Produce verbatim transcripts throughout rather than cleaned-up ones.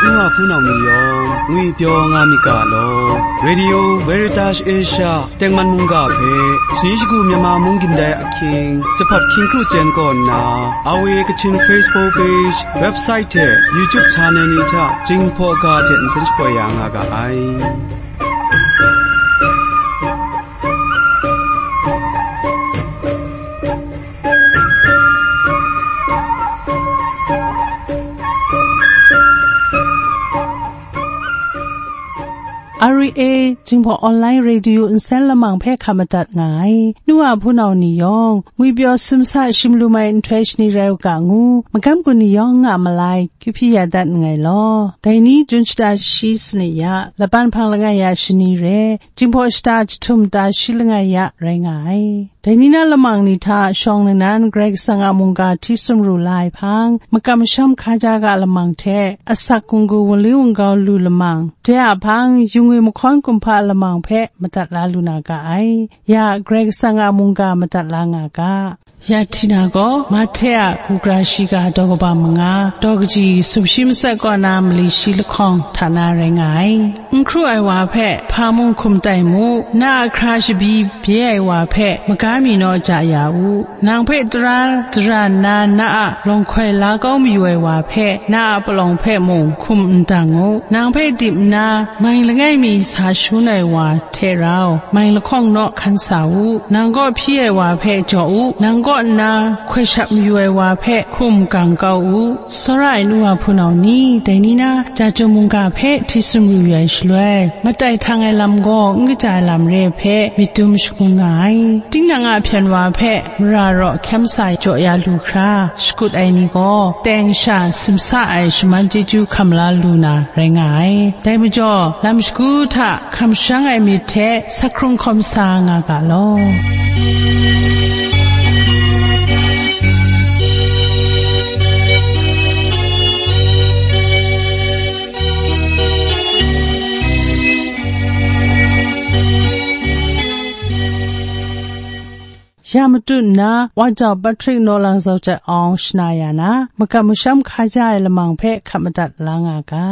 N wa hpunau ni yawng, ngwipyaw nga myit ga law. Radio Veritas Asia tengman mungga hpe, shani shagu Myanmar mung gindai ahkying, Jahpat hkying kru jen kaw nna, R V A Kachin Facebook page, website hte YouTube channel ni hta Jinghpaw ga hte nsen shapoi ya nga ga ai. R V A Jinghpaw Online Radio nsen lamang hpe hkap madat nga ai. Nu a hpunau ni yawng, ngwipyaw simsa shim lu mai nhtoi shani rai u ga ngu, magam gun ni yawng a malai, kyu hpyi ya dat nngai law. Dai ni Jun shata shi sanit ya, laban hpang langai ya shani re, Jinghpaw shata jahtum ta shi langai ya rai nga ai. Dai ni na lamang ni hta shawng nnan Karai Kasang a mungga hti sumru la ai hpang, makam masham hkaja ga lamang hte asak gunggu wunli wungau lu lamang, de a hpang, yu ngwi mahkawn kumhpa lamang hpe madat la lu na ga ai. Ya, Karai Kasang a mungga madat la nga ga. Ya Htina gaw, Mahte a kagra shiga daw kaba manga, daw kaji sumshi matsat kaw na mali shi lahkawng hta na rai nga ai. N hkru ai wa hpe hpa mung hkum tai mu, na a hkra shabi bye ai wa hpe maga mi naw ja ya u. Nang hpe tara dara nna na a lawng hkoi la kau mayu ai wa hpe na a palawng hpe mung hkum n dang u. Nang hpe dip nna mai langai mi sa shangun ai wa hte rau, mai lahkawng naw hkan sa u. Nang kaw hpyi ai wa hpe jaw u. Nang kaw nna hkoi shap mayu ai wa hpe hkum gang kau u. Tsawra ai nu wa hpunau ni, dai ni na, ja chyum mungga hpe hti sumru yu ai shaloi, matai htang ai lam gaw n kaja ai lam re ai hpe myit dum shangun nga ai. Tinang a hpyen wa hpe mara raw hkyem sa jaw ya lu hkra, shakut ai ni gaw, teng sha simsa ai shaman chyeju hkam la lu na rai nga ai. Dai majaw, lam shagu hta hkam sharang ai myit hte sa hkrung hkawm sa nga ga law. Ya matut nna, Wa Jau Patrick Naw Lang Zau Jat Awng shana ya na, makam masham hkaja ai lamang hpe hkap madat la nga ga.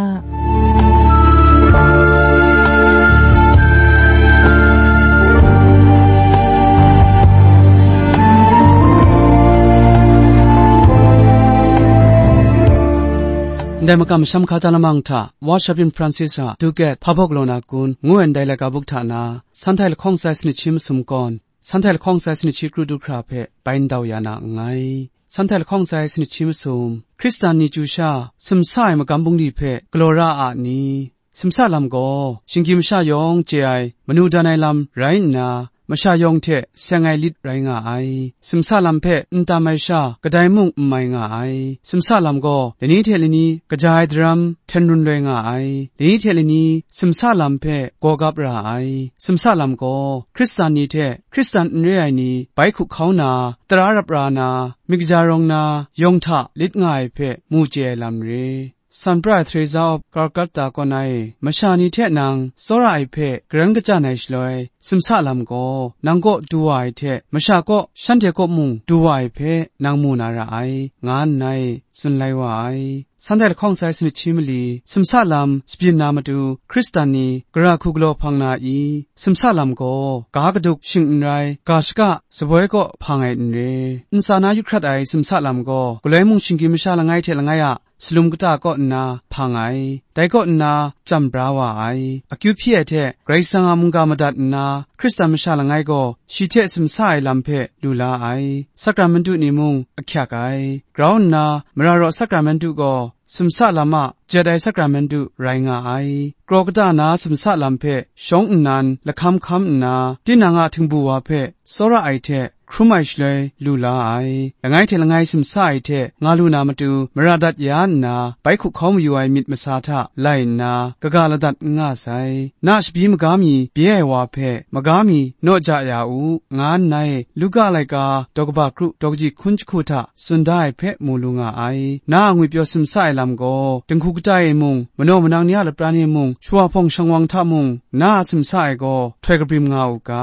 Ndai makam masham hkaja lamang hta, Wa Shabin Francis a Duket Hpa Bawk Law Na Kun ngu ai ndai laika buk hta na, Sanhtai lahkawng sai sanit shi masum kawn, Sanhtai lahkawng sai sanit shi kru du hkra hpe bai ndau ya na nngai. Sanhtai lahkawng sai sanit shi masum, Hkristan ni chyu sha, simsa ai magam bungli hpe galaw ra a ni? Simsa lam gaw, shinggyim masha yawng chye ai, manu dan ai lam rai nna, masha yawng hte seng ai lit rai nga ai. Simsa lam hpe n tam ai sha, kadai mung n mai nga ai. Simsa lam gaw, lani hte lani kaja ai daram hten run loi nga ai. Lani hte lani simsa lam hpe gawgap ra ai. Simsa lam gaw, Hkristan ni hte Hkristan n re ai ni bai hkup hkau na, tara rap ra na, myit kaja rawng na, yawng hta lit nga ai hpe mu chye ai lam re. San Pra ai Theresa of Calcutta kaw na e, masha ni hte nang tsawra ai hpe garan kachyan ai shaloi, simsa lam gaw nang kaw du wa ai hte, masha kaw shanhte kaw mung du wa ai hpe nang mu na ra ai, nga nna e tsun lai wa ai. Sanhtai lahkawng sai sanit shi mali, simsa lam shabyin na matu, Hkristan ni gara hku galaw hpang na i? Simsa lam gaw, ga kaduk shing n rai, ga shaka saboi kaw hpang ai n re. Ntsa na yu hkrat ai simsa lam gaw, galoi mung shinggyim masha langai hte langai a salum kata kaw nna hpang ai, dai kaw nna chyam bra wa ai. Akyu hpyi ai hte Karai Kasang a mungga madat nna, Hkristan masha langai gaw shi hte simsa ai lam hpe lu la ai. Sakramentu ni mung ahkyak ai. Grau nna, mara raw sakramentu gaw simsa lam a jet ai sakramentu rai nga ai. Kraw kata na simsa lam hpe shawng nnan lahkam hkam nna, tinang a htingbu wa hpe tsawra ai hte hkrum ai shaloi lu la ai. Langai hte langai simsa ai hte nga lu na matu mara dat ya nna, bai hkup hkau mayu ai myit masa hta lai nna, kaga ladat n nga sai. Na shabi maga mi bye ai wa hpe, maga mi naw ja ya u, nga nna e, Luka laika daw kaba kru daw kaji hkun jahku hta tsun da ai hpe mu lu nga ai. Na a ngwipyaw simsa ai lam gaw, dinghku kata e mung, manaw manang ni a lapran e mung, shawa hpawng shangwang hta mung, na a simsa ai gaw htoi kabrim nga u ga.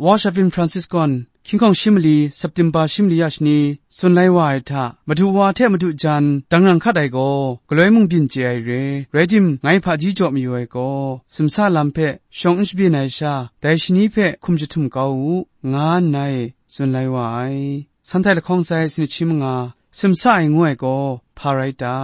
Wa Shabin Francis gawn, hkying hkawng shi mali, September shi mali a shani, tsun lai wa ai hta, madu wa hte madu jan, dangrang hkat ai gaw, galoi mung byin chye ai re. Rai tim, ngai hpaji jaw mayu ai gaw, simsa lam hpe shawng n shabyin ai sha, dai shani hpe hkum jahtum kau u, nga nngai, tsun lai wa ai. Santai lahkawng sai sanit shi manga, simsa ai ngu ai gaw, hpa rai ta?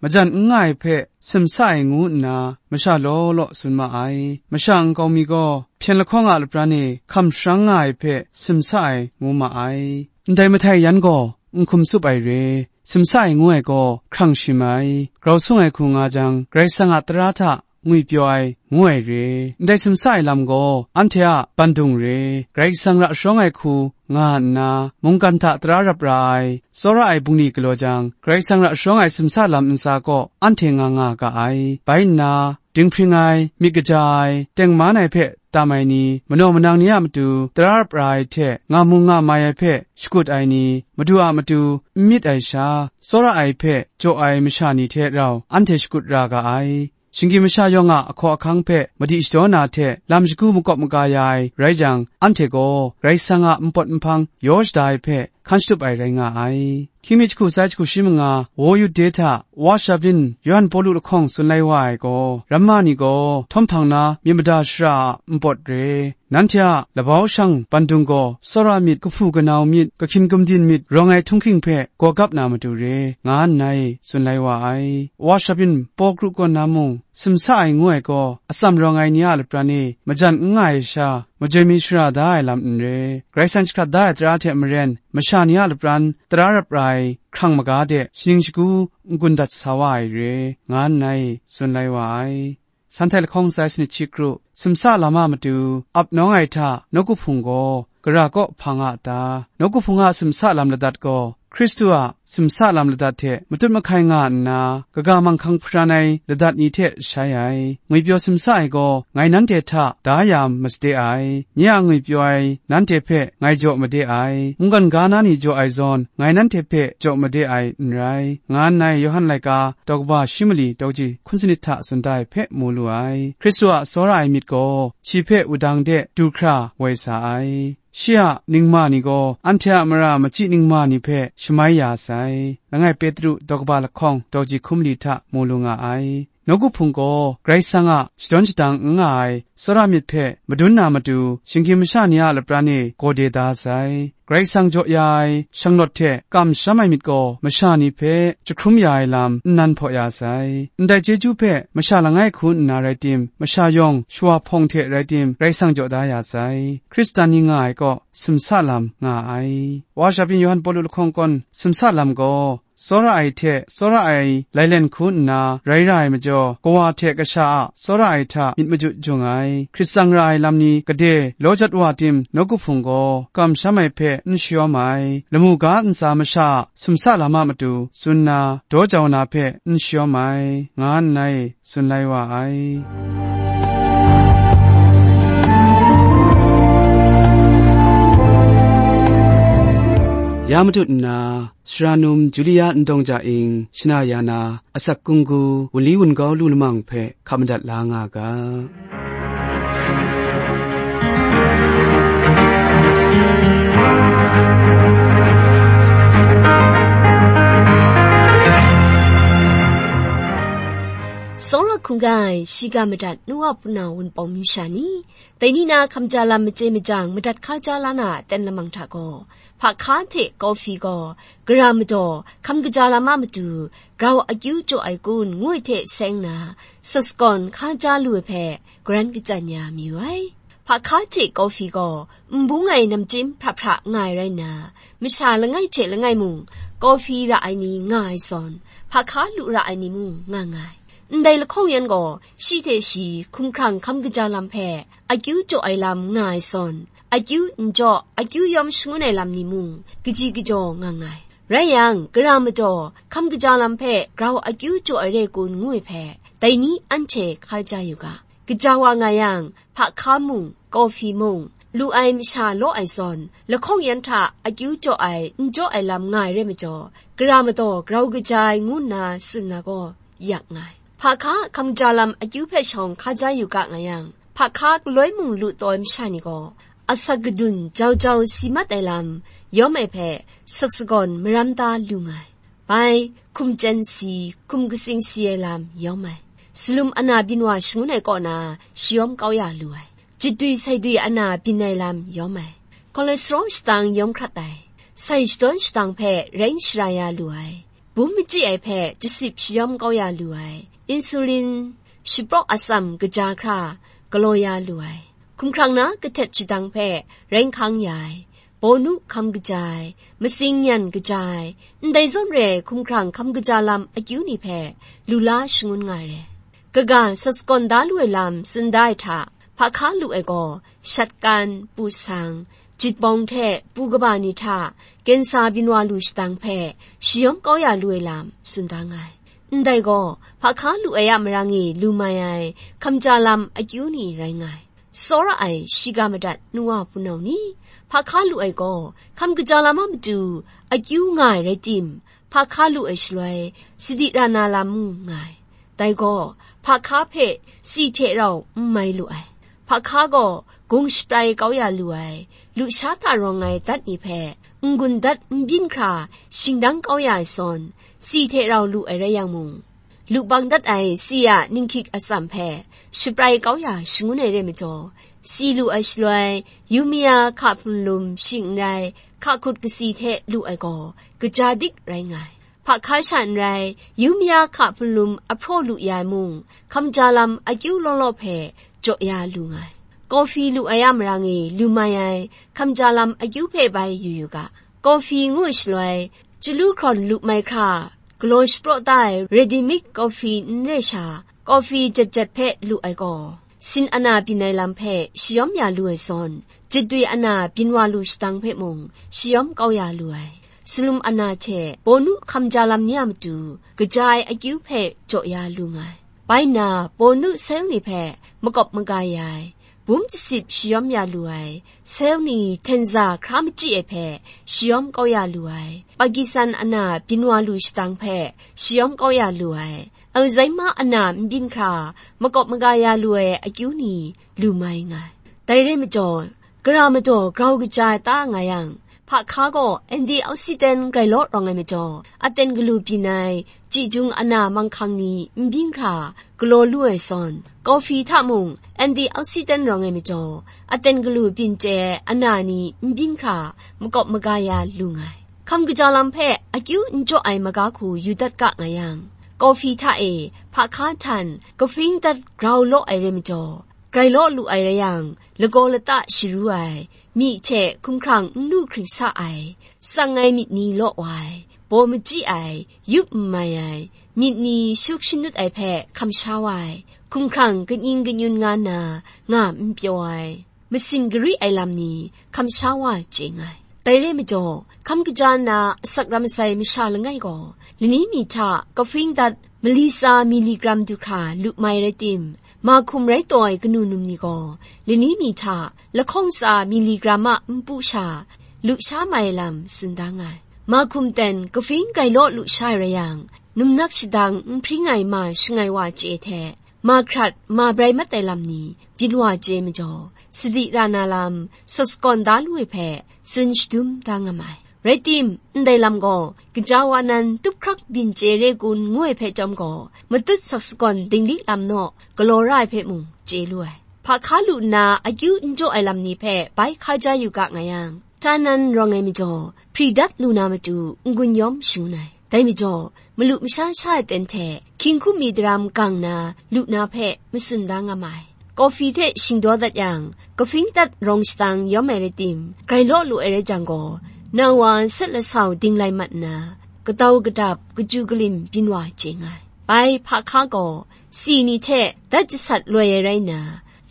Majan n nga ai hpe simsa ai ngu nna, masha law law tsun ma ai. Masha nkau mi gaw, hpyen lahkawng a lapran e hkam sharang nga ai hpe simsa ai ngu ma ai. Ndai mahtai yan gaw, n hkum tsup ai re, simsa ai ngu ai gaw, hkrang shim ai. Grau sung ai hku nga jang, Karai Kasang a tara hta ngwipyaw ai, ngu ai re. Ndai simsa ai lam gaw, anhte a bandung re. Karai Kasang ra sharawng ai hku nga nna, mungkan hta tara rap ra ai, tsawra ai bungli galaw jang, Karai Kasang ra sharawng ai simsa lam ntsa kaw, anhte nga nga ga ai. Bai nna, dinghpring ai, myit kaja ai, tengman ai hpe tam ai ni, manaw manang ni a matu, tara rap ra ai hte, nga mu nga mai ai hpe shakut ai ni, Madu a matu n myit ai sha, tsawra ai hpe jaw ai masha ni hte rau anhte shakut ra ga ai. Shinggyim masha yawng a ahkaw ahkang hpe madi shadaw na hte lam shagu makawp maga ya ai rai jang, anhte gaw Karai Kasang a npawt nhpang yaw shada ai hpe hkan shatup ai rai nga ai. Hkying mi jahku sai jahku shi manga, Wo Yude hta, Wa Shabin, Yawhan Pawlu lahkawng tsun lai wa ai gaw, ramma ni gaw htawm hpang na myit mada shara a npawt re. Nanhte a labau shang bandung gaw tsawra myit, kahpu kanau myit, kahkyin gumdin myit rawng ai htunghking hpe gawgap na matu re, nga nngai, tsun lai wa ai. Wa Shabin Paw kru kaw na mung, simsa ai ngu ai gaw, atsam rawng ai ni a lapran e majan n nga ai sha, majoi mi shara da ai lam n re. Karai Kasang jahkrat da ai tara hte maren, masha ni a lapran tara rap ra ai hkrang maga de shaning shagu n-gun dat sa wa ai re, nga nngai, tsun lai wa ai. Santai lahkawng sai sanit shi kru, simsa lam a matu, ap nawng ai hta, nawku hpung gaw, gara kaw hpang a ta? Nawku hpung a simsa lam ladat gaw, Hkristu a simsa lam ladat hte matut mahkai nga nna, kaga manghkang hparan ai ladat ni hte shai ai. Ngwipyaw simsa ai gaw, ngai nanhte hta da ya masade ai. Nye a ngwipyaw ai nanhte hpe ngai jaw made ai. Mungkan ga na ni jaw ai zawn, ngai nanhte hpe jaw made ai n rai, nga nngai, Yawhan laika daw kaba shi mali daw ji hkun sanit hta tsun da ai hpe mu lu ai. Hkristu a tsawra ai myit gaw, shi hpe wudang de du hkra woi sa ai. Shi a ningma ni gaw, anhte a mara machyi ningma ni hpe shamai ya sai. Langai Petru daw kaba lahkawng daw ji hkun mali hta mu lu nga ai. Nawku hpung gaw, Karai Kasang a shadawn shadang n nga ai tsawra myit hpe madun na matu, shinggyim masha ni a lapran e gawde da sai. Karai Kasang jaw ya ai shanglawt hte kamsham ai myit gaw, masha ni hpe jahkrum ya ai lam nnan hpaw ya sai. Ndai chyeju hpe masha langai hku nna rai tim, masha yawng shawa hpawng hte rai tim, Karai Kasang jaw da ya sai. Hkristan ni nga ai kaw, simsa lam nga ai. Wa Shabin Yawhan Pawlu lahkawng kawn, simsa lam gaw, tsawra ai hte tsawra ai lailen hku nna rai ra ai majaw, kawa hte kasha a tsawra ai hta myit majut jung ai. Hkrit tsang ra ai lam ni gade law jat wa tim, nawku hpung gaw kamsham ai hpe n shayawm ai. Lamu ga ntsa masha a simsa lam a matu tsun nna, daw jau na hpe n shayawm ai, nga nngai, tsun lai wa ai. Ya matut nna, Sara num Julia Ndawng Ja Ing, shana ya na, asak kunggu, wunli wungau lu lamang hpe hkap madat la nga ga. Tsawra hkungga ai, shiga madat nu a hpunau wunpawng masha ni, dai ni na hkamja lam machye majang madat hkaja la na aten lamang hta gaw, hpa hka hte kawhpi gaw, gara madaw, hkam kaja lam a matu, grau akyu jaw ai kun, ngu ai hte seng na, sasakawn hkaja lu ai hpe, garan kachyan ya mayu ai. Hpa hka hte kawhpi gaw, n bung ai namchyim hpra hpra nga ai rai nna, masha langai hte langai mung, kawhpi ra ai ni nga ai zawn, hpa hka lu ra ai ni mung nga nga ai. Ndai lahkawng yan gaw, shi hte shi hkumhkrang hkam kaja lam hpe, akyu jaw ai lam nga ai zawn, akyu n jaw, akyu yawm shangun ai lam ni mung, kaji kajaw nga nga ai. Rai yang, gara madaw, hkam kaja lam hpe grau akyu jaw ai re kun ngu ai hpe, dai ni anhte hkaja yu ga. Kaja wa nga yang, hpa hka mung, kawhpi mung, lu ai masha law ai zawn, lahkawng yan hta akyu jaw ai, n jaw ai lam nga ai re majaw, gara madaw grau kaja ai ngu nna tsun na gaw, yak nga ai. Hpa hka hkam ja lam akyu hpe shawng hkaja yu ga nga yang, hpa hka galoi mung lu taw ai masha ni gaw, Asak gadun jau jau si mat ai lam yawm ai hpe sak sagawn maram ta lu nga ai. Bai, hkum chyen si, hkum katsing si ai lam yawm ai. Salum ana byin wa shangun ai kaw na shayawm kau ya lu ai. Jitdwi saidwi ana byin ai lam yawm ai. Cholesterol shatang yawm hkrat ai. Sai shadawn shatang hpe rai shara ya lu ai. Bum machyi ai hpe jasip shayawm kau ya lu ai. Insulin shapraw atsam kaja hkra galaw ya lu ai. Hkumhkrang na kahtet shadang hpe rai hkang ya ai. Bawnu hkam kaja ai, matsing nyan kaja ai, ndai zawn re ai hkumhkrang hkam kaja lam akyu ni hpe lu la shangun nga ai re. Kaga sat sagawn da lu ai lam tsun da ai hta, hpa hka lu ai gaw, shat kan, pu sang, jit bawng hte pu kaba ni hta, kensa byin wa lu shadang hpe shayawm kau ya lu ai lam tsun da nga ai. Ndai gaw, hpa hka lu ai a marang e lu mai ai hkam ja lam akyu ni rai nga ai. Tsawra ai shiga madat nu wa hpunau ni, hpa hka lu ai gaw, hkam kaja lam a matu akyu nga ai rai tim, hpa hka lu ai shaloi, sadi ra na lam mung nga ai. Dai gaw, hpa hka hpe tsi hte rau n mai lu ai. Hpa hka gaw gung shaprai kau ya lu ai, lusha hta rawng ai dat ni hpe n-gun dat n byin hkra shingdang kau ya ai zawn, tsi hte rau lu ai rai yang mung, lu bang dat ai tsi a ninghkyik atsam hpe shaprai kau ya shangun ai re majaw, tsi lu ai shaloi, yumya hka hpunlum shing n rai, hka hkut katsi hte lu ai gaw, kaja dik rai nga ai. Hpa hka sha n rai, yumya hka hpunlum ahpraw lu ya ai mung, hkam ja lam akyu law law hpe jaw ya lu nga ai. Kawhfi lu ai a marang e lu mai ai hkam ja lam akyu hpe bai yu yu ga. Kawhfi ngu shaloi, chyalu hkrawn lu mai hkra, galaw shapraw da ai ready mix kawhfi n re sha, kawhfi jet jet hpe lu ai gaw, sin ana byin ai lam hpe shayawm ya lu ai zawn, jitdwi ana byin wa lu shadang hpe mung shayawm kau ya lu ai. Salum ana hte bawnu hkam ja lam ni a matu, kaja ai akyu hpe jaw ya lu nga ai. Bai nna, bawnu sel ni hpe makawp maga ya ai, bum jasip shayawm ya lu ai, sel ni htenza hkra machyi ai hpe shayawm kau ya lu ai, Pakistan ana byin wa lu shadang hpe shayawm kau ya lu ai, Alzheimer ana n byin hkra makawp maga ya lu ai akyu ni lu mai nga ai. Dai re majaw, gara majaw grau kaja ai ta nga yang, hpa hka gaw antioxidant grai law rawng ai majaw, aten galu byin ai, chyi jung ana manghkang ni n byin hkra galaw lu ai zawn, kawhfi hta mung antioxidant rawng ai majaw, aten galu byin chye ai ana ni n byin hkra makawp maga ya lu nga ai. Hkam kaja lam hpe akyu n jaw ai maga hku yu dat ga nga yang, kawhfi hta e hpa hka htan kahpring dat grau law ai rai majaw, grai law lu ai rai yang, lagaw lata sharu ai, myi hte hkumhkrang n lu hkring sa ai, tsang ai myit ni law wa ai, baw machyi ai, yup n mai ai, myit ni shuk shanut ai hpe hkam sha wa ai, hkumhkrang kaning kanyun nga na, nga n pyaw ai, masin gari ai lam ni hkam sha wa chye nga ai. Dai re majaw, hkam kaja nna asak ram sai masha langai gaw, lani mi hta kahpring dat mali tsa miligram du hkra lu mai rai tim, mahkum rai taw ai kanu num ni gaw, lani mi hta lahkawng tsa miligram a npu sha lu sha mai ai lam tsun da nga ai. Mahkum ten kahpring grai law lu sha ai rai yang, numnak shadang n hpring ai ma shangai wa chye hte, ma hkrat, ma brai mat ai lam ni byin wa chye majaw, sadi ra na lam sat sagawn da lu ai hpe tsun shadum da nga mai. Rai tim, ndai lam gaw gaja wa nan tup hkrak byin chye re kun ngu ai hpe chyawm gaw, matut sat sagawn dinglik lam naw galaw ra ai hpe mung chye lu ai. Hpa hka lu nna akyu n jaw ai lam ni hpe bai hka ja yu ga nga yang, hta nan rawng ai majaw, hpri dat lu na matu n-gun yawm shangun ai. Dai majaw, malu masha sha ai ten hte hkying hkum mi daram gang na lu na hpe matsun da nga ma ai. Kawhfi hte shingdaw dat yang, kahpring dat rawng shatang yawm ai rai tim, grai law lu ai rai jang gaw, na wa set lasau ding lai mat nna, kadau kadap, kachyu kalim byin wa chye nga ai. Bai hpa hka gaw, tsi ni hte dat jasat loi ai rai nna,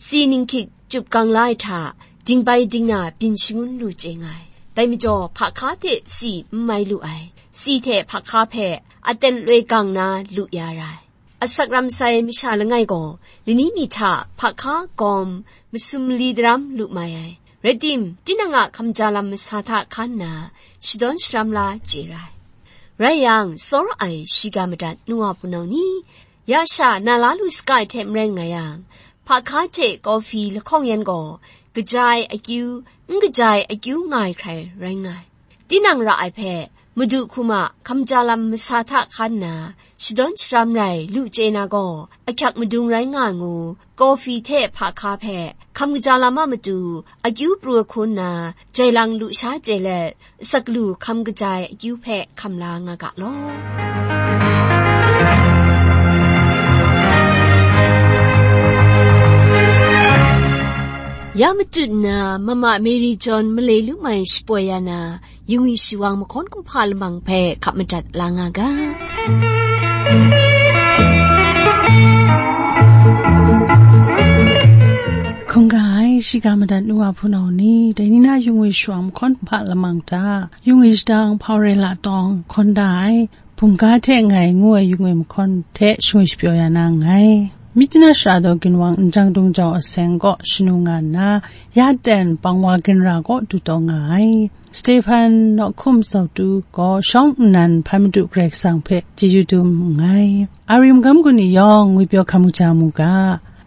tsi ninghkyik chyup gang la ai hta, ding bai ding na byin shangun lu chye nga ai. Dai majaw, hpa hka hte tsi n mai lu ai, tsi hte hpa hka hpe aten loi gang na lu ya ra ai. Asak ram sai masha langai gaw, lani mi hta hpa hka gawm masum mali daram lu mai ai. Rai tim, tinang a hkam ja lam masa hta hkan nna, shadawn sharam la chye ra ai. Rai yang, tsawra ai shiga madat nu wa hpunau ni, ya sha na la lu saga ai hte maren nga yang, hpa hka hte kawhfi lahkawng yan gaw, kaja ai akyu, n kaja ai akyu nga ai hkrai rai nga ai. Tinang ra ai hpe, Madu hkum a hkamja lam masa hta hkan nna, shadawn sharam rai lu chye na gaw, ahkyak madung rai nga ai ngu, kawhfi hte hpa hka hpe hkam kaja lam a matu akyu pru ai hku nna, jai lang lu sha chye let, asak lu hkam kaja ai akyu hpe hkam la nga ga law. Ya matut nna, Mama Mary John malai lu mai shapoi ya na, yungwi shawang mahkawn kumhpa lamang hpe hkap madat la nga ga. Hkungga ai, shiga madat nu wa hpunau ni, dai ni na yungwi shawang mahkawn kumhpa lamang hta, yungwi shadang hpau rai la tawng hkawn da ai, bumga hte ngai ngu ai yungwi mahkawn hte shangwi shapyaw ya na nngai. Myit na shara daw ginwang njang dung jau aseng kaw shanu nga nna, ya ten pangwa ginra kaw du taw nga ai. Stephen nawhkum zautu gaw shawng nnan hpai madu Karai Kasang hpe chyeju dum nngai. Ari magam gun ni yawng ngwipyaw hkam kaja mu ga,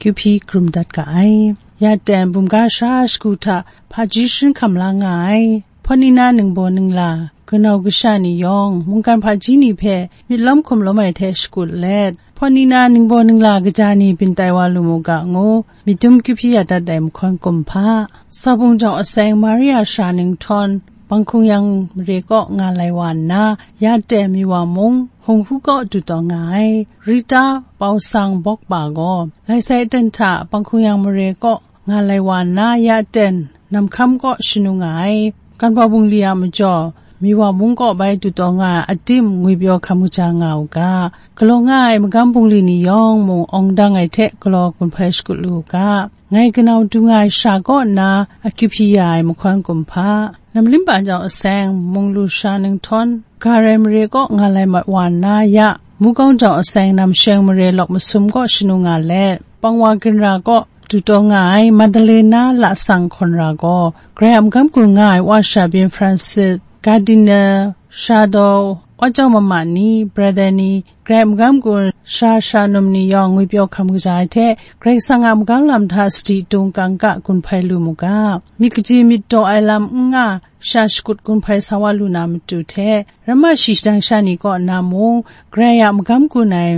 kyu hpyi karum dat ga ai. Ya ten bumga sha shagu hta hpaji sharin hkam la nga ai. Hpawt ni na ningbaw ningla, kanau kasha ni yawng, mungkan hpaji ni hpe myit lawm hkum lawm ai hte shakut let, hpawt ni na ningbaw ningla kaja ni byin tai wa lu mu ga ngu, myit dum kyu hpyi ya dat ai mahkawn kumhpa. Saubung jau aseng Maria sara ninghtawn, Panghkung yang mare kaw nga lai wa nna, ya ten mi wa mung, Hung Hu kaw du taw nga ai. Rita Pau Sang Bawk Pa gaw, lai sai aten hta Panghkung yang mare kaw nga lai wa nna, ya ten Nam Hkam kaw shanu nga ai. Kan Pau bungli a majaw, mi wa mung kaw bai du taw nga ai atim ngwipyaw hkam kaja nga u ga, galaw nga ai magam bungli ni yawng mung awng dang ai hte galaw gun hpai shakut lu u ga, ngai kanau du nga ai sha kaw nna akyu hpyi ya ai mahkawn kumhpa. Namlimpa jau aseng, mung lu sara ninghtawn, Garai mare kaw nga lai mat wa nna, ya Mukau jau aseng, Namsheng mare lawk masum kaw shanu nga let, pangwa ginra kaw du taw nga ai Madalena lasang hkawn ra gaw, Karai a magam gun nga ai wa sha byin Francis, Cardinal, sara daw, wa jau mama ni, brother ni, Karai a magam gun sara sara num ni yawng ngwipyaw hkam kaja ai hte, Karai Kasang a magam lam hta sadi dung kangka gun hpai lu mu ga, myit kaji myit daw ai lam n nga, sha shakut gun hpai sa wa lu na matu hte, ramma shi shadang sha ni kaw nna mung, Karai a magam gun ai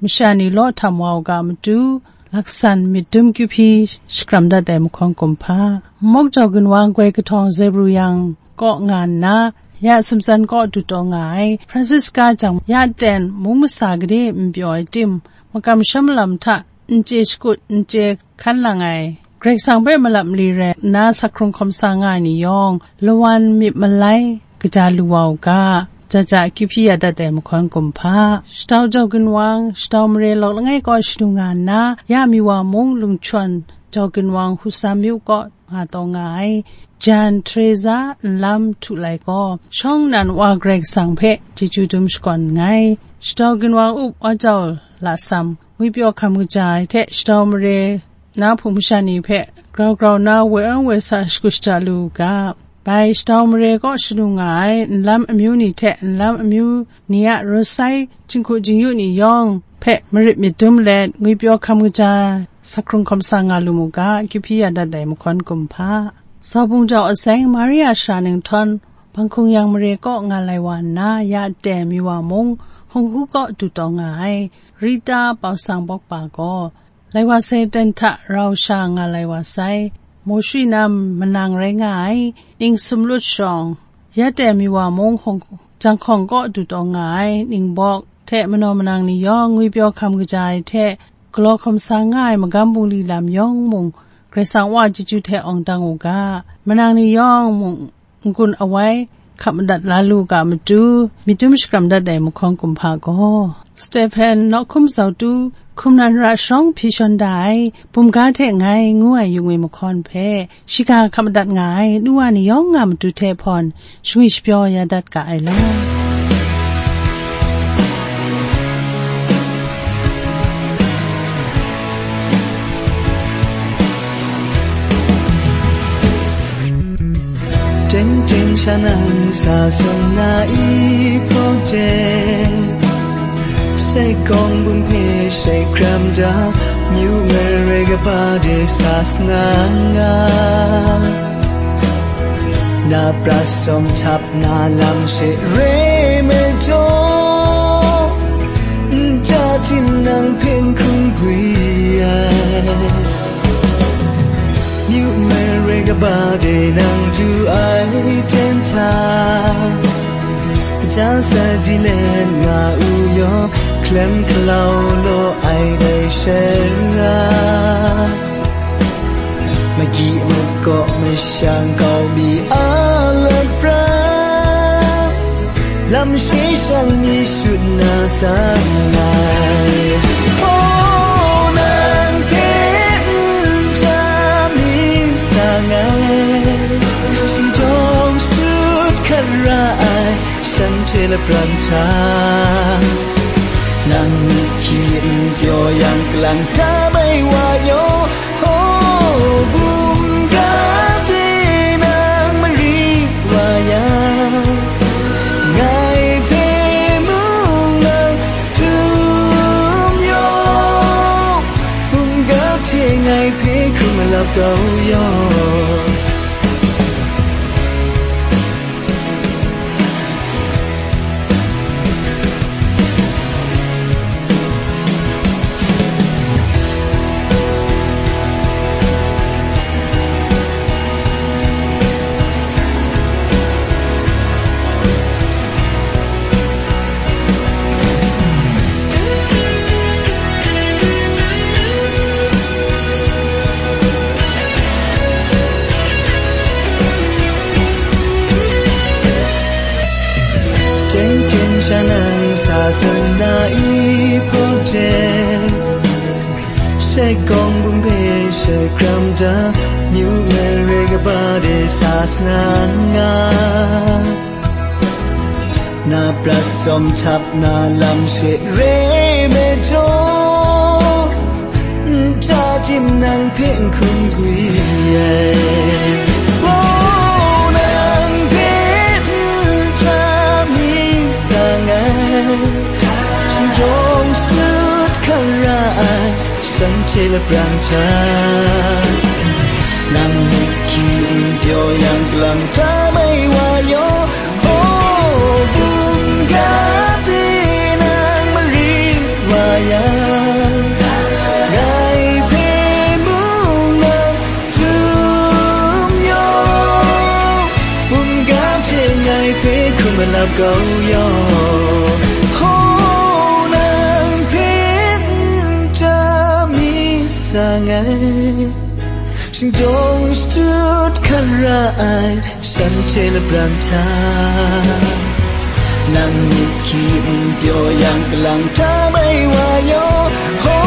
masha ni law htam wa u ga matu, laksan myit dum kyu hpyi shakram dat ai mahkawn kumhpa. Mawk jau ginwang goi kahtawng Zebru yang kaw nga nna, ya sumtsan kaw du taw nga ai. Francisca jang ya ten mung masa gade n pyaw ai tim, makam sha malam hta n chye shakut, n chye hkan lang ai, Karai Kasang hpe malap mali rai nna, sak hkrung hkawm sa nga ai ni yawng, lawan myit malai kaja lu wa u ga, ja ja kyu hpyi ya dat ai mahkawn kumhpa. Shatau jau ginwang, Shatau mare lawk langai kaw shanu nga nna, ya mi wa mung Lungchawn jau ginwang Husam myu kaw nga taw nga ai, Jan Teresa nlam htu lai gaw, shawng nnan Wa Karai Kasang hpe chyeju dum shakawn nngai. Shatau ginwang up wa jau lasam, ngwipyaw hkam kaja ai hte Shatau mare na hpung masha ni hpe grau grau nna woi ang woi sa shakut shada lu u ga, bai Shatau mare kaw shanu nga ai nlam amyu ni hte nlam amyu ni a raw sai, jinghku jingyu ni yawng hpe marit myit dum let, ngwipyaw hkam kaja, sak hkrung hkawm sa nga lu mu ga, kyu hpyi ya dat ai mahkawn kumhpa. Saubung jau aseng Maria sara ninghtawn, Panghkung yang mare kaw nga lai wa nna, ya ten mi wa mung, Hung Hu kaw du taw nga ai, Rita Pau Sang Bawk Pa gaw, lai wa sai ten hta rau sha nga lai wa sai, Mawshwi nam manang rai nga ai, ning sumlut shawng, ya ten mi wa mung hkawng, jang hkawng kaw du taw nga ai, ning bawk hte manaw manang ni yawng ngwipyaw hkam kaja ai hte, galaw hkawm sa nga ai magam bungli lam yawng mung, Karai Kasang wa chyeju hte awng dang u ga, manang ni yawng mung, n-gun awai, hkap madat la lu ga matu, myit dum shakram dat ai mahkawn kumhpa gaw, Stephen nawhkum zautu, hkum nan ra sharawng hpyi shawn da ai, bumga hte ngai ngu ai yungwi mahkawn hpe, shiga hkap madat nga ai, nu wa ni yawng nga matu hte hpawn, shangwi shapyaw ya dat ga ai law. Tengteng sha nang sa sawn na i hprawng hte, sai kawng bun hpe shai hkram da, Myu mare kaba de sa sna nga, na prat sawm htap na lam she re me jaw, nta tim nang hpe n hkum gwi ai. Myu mare kaba de nang du ai ten hta, ja sa di let nga u yaw, hkalem hkalau law ai dai she ra, magyi makaw mashang kau mi a lat pran, lam shi shang mi shut na sang ai. Oh, nang hpe n hta mi sang ai, shingtawng shadut hkat ra ai, shanhte lapran hta, nang myit hki n pyaw yang, kalang ta bai wa yaw, oh, bum ga de nang mari wa yang, ngai hpe mung nang htum yaw, bum ga hte ngai hpe hkum malap kau yaw. Teng teng sha nang sa san na i hpaw jen, shai gawng bum hpe shai hkram da, myu mare kaba de sa sna nga, na prat sawm htap na lam she re me jaw, nta tim nang hpe n hkum gwi ai. Wow, nang hpe nta mi sang ai, shingtawng shadut hkam ra ai, shanhte lapran hta, nang myit hki n pyaw yang, kalang ta mai wa yaw, oh, bum ga de nang mari wa yang, ngai hpe mung nang htum yaw, bum ga hte ngai hpe hkum malap kau yaw, oh, nang hpe nta mi sang ai, shingtawng shadut hkan ra ai, shanhte lapran hta, nang myit hki n pyaw yang, kalang ta mai wa yaw, ho,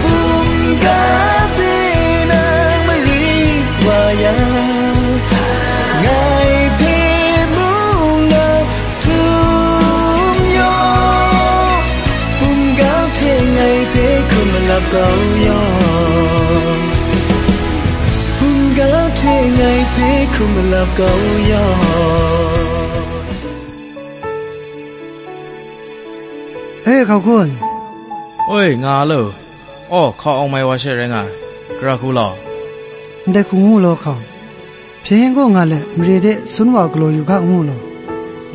bum ga hte nang mari wa yang, ngai hpe mung nang htum yaw, bum ga hte ngai hpe hkum malap kau yaw. Hpung ga hte ngai hpe hkum malap kau yaw. E, hkau kun. Oi, nga lo. Aw, hkau awng mai wa she rai nga ai. Gara hku law. Ndai hku ngu law, hkau. Hpyen yen kaw nga let, mare de sun wa galaw yu ga ngu law.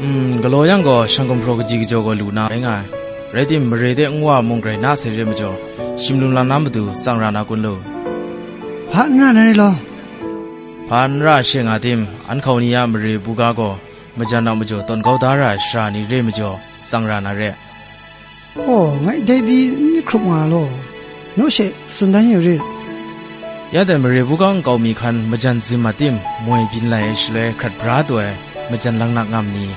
Mm, galaw yang gaw, shang gumhpraw kaji kajaw gaw lu na rai nga ai. Rai tim, mare de nwa mung grai na sai re majaw, shim lung lang na matu tsang ra na kun lu? Hpa n ra na rai law. Hpa n ra she nga tim, an hkau ni a mare buga gaw, majan a majaw tawn kau da ra ai shara ni re majaw, tsang ra na re. Aw, ngai dai pyi n hkrup nga law, naw she tsun dan yu rit. Ya dai mare buga nkau mi hkan majan zim a tim, moi byin lai ai shaloi hkrat bra taw ai, majan langnak ngam ni,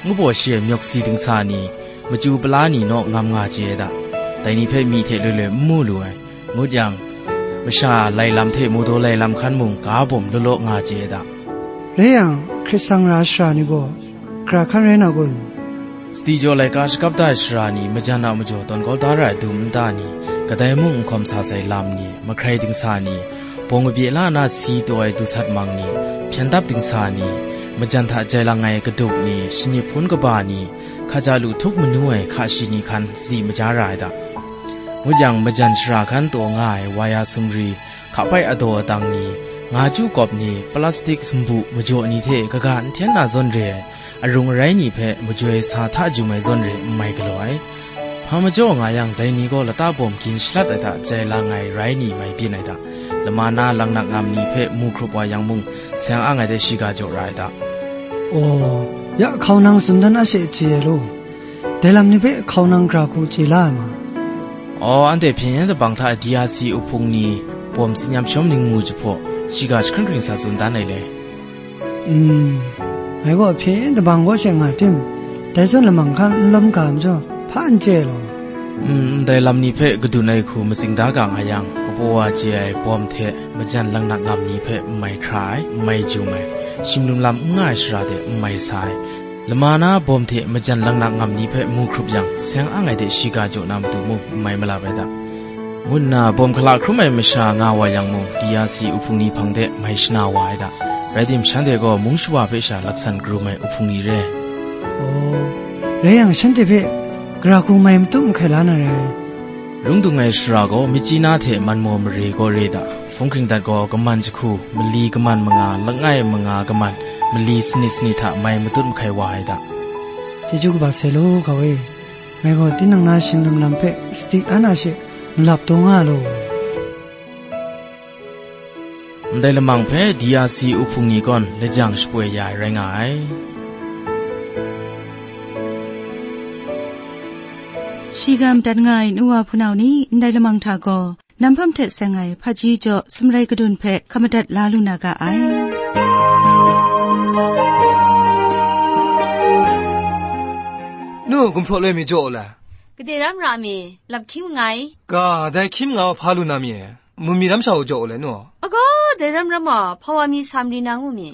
ngu baw shi ai myawk si dingsa ni, machyu pala ni naw ngam nga chye ai da. Dai ni hpe myi hte loi loi n mu lu ai, ngut yang, masha lai lam hte mawdaw lai lam hkan mung ga bawm law law nga chye ai da. Rai yang, hkrit tsang ra shara ni gaw, gara hkan rai na kun? Sadi jaw laika shakap da ai shara ni, majan a majaw tawn kau da ra ai dum nta ni, kadai mung n hkawm sa sai lam ni, mahkrai dingsa ni, bawng kabye la na si taw ai dusat mang ni, hpyen dap dingsa ni, majan hta jai lang ai kaduk ni, shani hpun kaba ni, hkaja lu htup manu ai hka shi ni hkan sadi maja ra ai da. Ngut yang, majan shara hkan taw nga ai waya sumri, hkapai adaw adang ni, nga chyu kawp ni, plastik sumbu majaw ni hte kaga n hten na zawn re ai arung arai ni hpe majoi sa hta jum ai zawn re n mai galaw ai. Hpa majaw nga yang, dai ni gaw lata bawm gin shalat ai hta jai lang ai rai ni mai byin ai hta, lama na laknak ngam ni hpe mu hkrup wa yang mung, seng ang ai de shiga jaw ra ai hta. Aw, ya hkau nang tsun dan a she chye ai law, dai lam ni hpe hkau nang gara hku chye la ai ma. Aw, anhte hpyen yen dabang hta D R C uhpung ni bawm tsin-yam shawm ning mu jahpaw, shiga jahkring hkring sa tsun dan ai le. Mm, ngai gaw hpyen yen dabang kaw she nga tim, dai zawn lamang hkan n lawm ga majaw, hpa n chye ai law. Mm, ndai lam ni hpe kadun ai hku matsing da ga nga yang, kabaw wa chye ai bawm hte majan laknak ngam ni hpe n mai hkra ai, n mai jum ai, shimlum lam n nga ai shara de n mai sa ai, lama na bawm hte majan laknak ngam ni hpe mu hkrup yang, seng ang ai de shiga jaw na matu mung n mai malap ai hta, ngu nna bawm hkala hkrum ai masha nga wa yang mung, D R C uhpung ni hpang de mai shana wa ai hta. Rai tim, shanhte gaw mung shawa hpe sha laksan karum ai uhpung ni re. Aw, rai yang, shanhte hpe gara hku mai matum hkai la na rai. Lung dung ai shara gaw, myitkyina hte manmaw mare gaw re da, hpung hkring dat gaw, kaman jahku, mali kaman manga, langai manga kaman, mali sanit sanit hta mai matut mahkai wa ai da. Chyeju kaba sai law, kau e. Ngai gaw tinang na shingdum lam hpe sadi ana she malap taw nga law. Ndai lamang hpe D R C uhpung ni gawn lajang shapoi ya ai rai nga ai. Shiga madat nga ai nu wa hpunau ni ndai lamang hta gaw, nam hpam hte seng ai hpaji jaw sumrai kadun hpe hkap madat la lu na ga ai. Nu, gumhpraw loi mi jaw u la? Gade ram ra mi, lap hkying nngai. Ga, dai hkying nga hpa lu na mi e? Mu mi ram sha u jaw u le, nu? Agaw, dai ram ram a, hpa wa mi sa mari na ngu mi?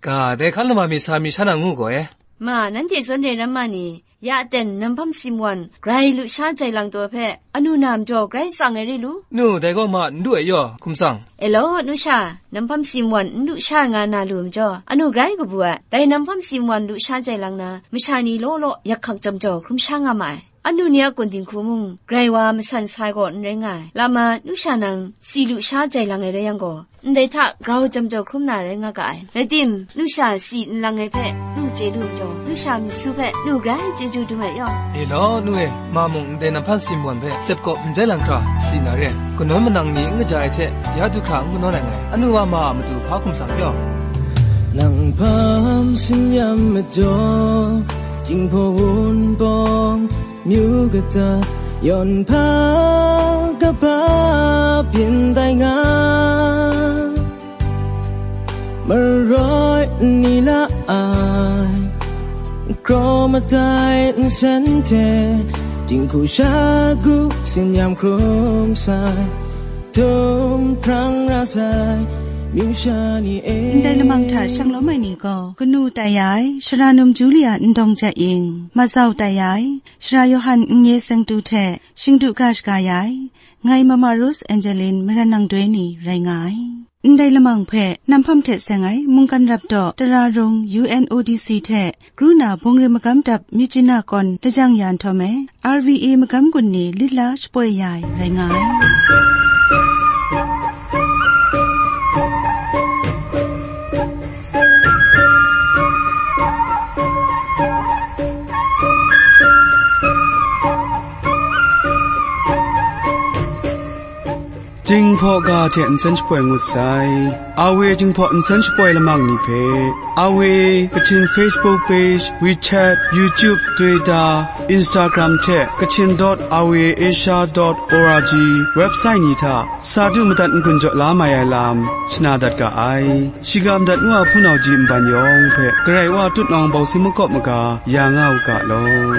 Ga, dai hkan lama mi sa mi sha na ngu gaw e? Ma, nanhte zawn re ram ma ni, ya aten nam hpam simwan grai lusha jai lang taw hpe, anu na majaw grai tsang ai re lu? Nu, dai gaw ma n du ai yaw, hkum tsang. E law, nu sha, nam hpam simwan n lusha nga na lu majaw, anu grai kabu ai. Dai nam hpam simwan lusha jai lang na, masha ni law law yak hkak jam jaw hkrum sha nga ma ai. Anu ni a kun dinghku mung, grai wa masan sai gaw n rai nga ai. Lama, nu sha nang, si lusha jai lang ai rai yang gaw, ndai hta grau jam jaw hkrum na rai nga ga ai. Rai tim, nu sha si n lang ai hpe, nu chye lu majaw, nu sha mi su hpe, nu grai chyeju dum ai yaw. E law, nu e, ma mung ndai nam hpam simwan hpe, sep kawp n jai lang hkra, si na re. Kanawn manang ni n kaja ai hte, ya du hkra n kanawn ai ngai. Anu wa ma a matu hpa hkum tsang yaw. Nang hpam singyan majaw, Jinghpaw Wunpawng, myu kata, yawn hpa kaba byin tai nga, maroi n ni la ai, kraw madai nsen hte, dinghku shagu tsin-yam hkrum sai, htum hprang ra sai, myu sha ni e. Ndai lamang hta shang lawm ai ni gaw, kanu tai ai, Sara Num Julia Ndawng Jat Ying, mazau tai ai, Sara Yawhan N Ye Seng Tu hte shingdu ga shaga ya ai, ngai Mama Rose Angeline Maran Nang Doi ni rai nga ai. Ndai lamang hpe nam hpam hte seng ai mungkan rap daw tara rung U N O D C hte kru na bungrim magam dap Myitkyina kawn lajang ya nhtawm e, R V A magam gun ni lit la shapoi ya ai rai nga ai. Jinghpaw ga hte nsen shapoi ngut sai. A W Jinghpaw nsen shapoi lamang ni hpe, A W Kachin Facebook page, WeChat, YouTube, Twitter, Instagram hte Kachin dot R V A Asia dot O R G website ni hta sa du madat n-gun jaw la mai ai lam shana dat ga ai. Shiga madat nu a hpunau ji nban yawng hpe Karai Wa tutnawng bawsing makawp maga ya nga u ga law.